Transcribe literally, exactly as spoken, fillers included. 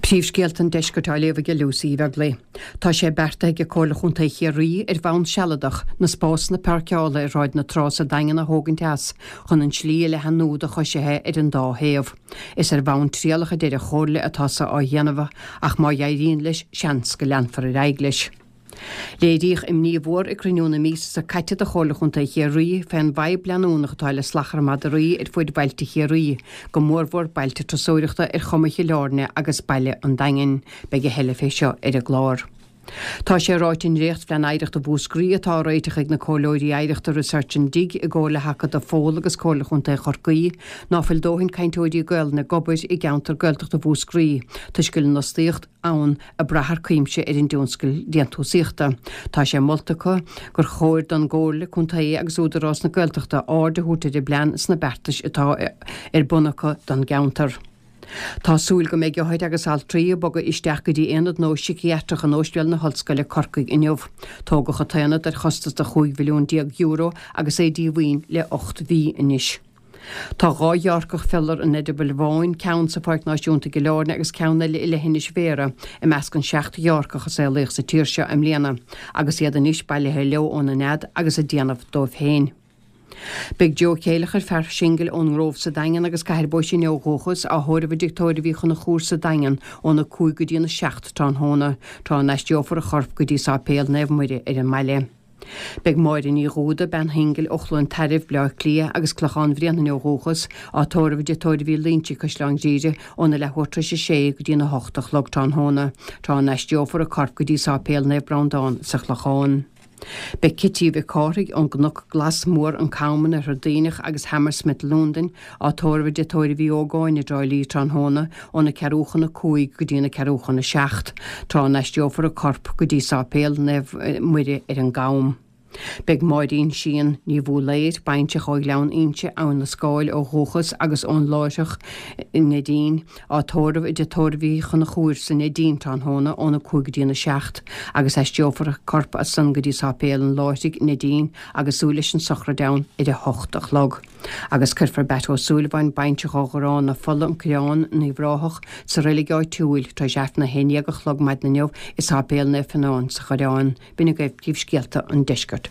Príomhscéalta an deiscirt á léamh ag Lucy Bheaglaoich. Tá sé beartaithe ag Comhairle Chontae Chiarraí ar bhonn sealadach na spásanna páirceála ar Shráid na Trá sa Daingean a thógaint as chun an tslí a leathnú do choisithe ar an dá thaobh. Is ar bhonn trialach a deir an Chomhairle atá sé á dhéanamh ach má éiríonn leis seans go leanfar ar aghaidh leis. Léiríodh imní mhór ag cruinniú na míosa seo caite de Chomhairle Chontae Chiarraí fén bhfadhb leanúnach atá le salachar madraí ar fud bhailte Chiarraí, go mórmhór bailte turasóireachta ar chuma Chill Airne agus Baile an Daingin. Beidh a thuilleadh fé seo ar an gclár. Tá sé ráite i ndréachtphlean oidhreachta Mhúscraí atá á réiteach ag na comhairleoirí oidhreachta Research and Dig i gcomhar le hAcadamh Fódhla agus Comhairle Chontae Chorcaí ná fuil dóthain cainteoirí Gaelainne ag obair i gceantar Gaeltachta Mhúscraí toisc go bhfuil an fhostaíocht ann ag brath thar cuimse ar an dtionscal déantúsaíochta. Tá sé molta acu gur chóir don gComhairle Contae agus Údarás na Gaeltachta aird a thabhairt ar an bplean sna beartais atá ar bun acu don gceantar. Tá súil go mbeidh othair agus altraí ag bogadh isteach go dtí aonad nua síciatrach in Ospidéal na hOllscoile Corcaigh inniu. Tógadh an t-aonad ar chostas de chúig mhilliún déag euro agus é díomhaoin le ocht mhí anois. Tá dhá ghearrcach fiolar an eireabaill bháin, ceann sa Pháirc Náisiúnta i gCill Airne agus ceann eile i Leithinis Bhéarra, i measc an seacht ghearrcach a saolaíodh sa tír seo i mbliana, agus iad anois bailithe leo óna nead agus ag déanamh dóibh féin. Beidh Joe Céileachair, fear singil ón nGrove sa Daingean agus Cathair Bó Sine ó dhúchas, á thórramh i dTigh Tórraimh Uí Chonchúir sa Daingean óna cúig go dtí an a seacht tráthnóna, tráth a n-aistreofar a chorp go dtí Sáipéal Naomh Muire ar an mbaile. Beidh Máire Ní Dhúda, bean shingil ó Chluain Tairbh, Bleá Cliath agus Clochán Bhréanainn ó dhúchas, á tórramh i dTigh Tórraimh Uí Loinsigh, Caisleán Ghriaire, óna leathuair tar éis a sé go dtí an a hocht a chlog tráthnóna, tráth a n-aistreofar a corp go dtí Sáipéal Naomh Breandán sa Chlochán. Beidh Cití Mhic Cárthaigh ón gCnoc Glas Mór, An Cam, an Oirthear Duibhneach agus Hammersmith Londain á tórramh i dTigh Tórraimh Uí Ógáin i dTrá Lí tráthnóna óna ceathrú chun a cúig go dtí na ceathrú chun a seacht, tráth a n-aistreofar a corp go dtí Sáipéal Naomh Muire ar an gCam. Beidh Máirín Sheehan Ní Bhúlaeir, baintreach ó Ghleann Inse, Abhainn na Scáil ó dhúchas agus ón Láithreach i Neidín, á tórramh i dTigh Tórraimh Uí Chonchúir sa Neidín tráthnóna óna cúig go dtí a seacht agus aistreofar a corp as san go dtí Sáipéal an Láithrigh, Neidín, agus súil leis an sochraid ann ar a hocht a chlog. Agus cuirfear Batt Ó Súilleabháin, baintreach ó Gharrán na Fola, An Coireán, Uíbh Ráthach, sa reilig áitiúil tar éis Aifreann a haon déag a chlog maidin inniu i Sáipéal Naomh Fionán sa Choireán. B'in agaibh príomhscéalta an deiscirt.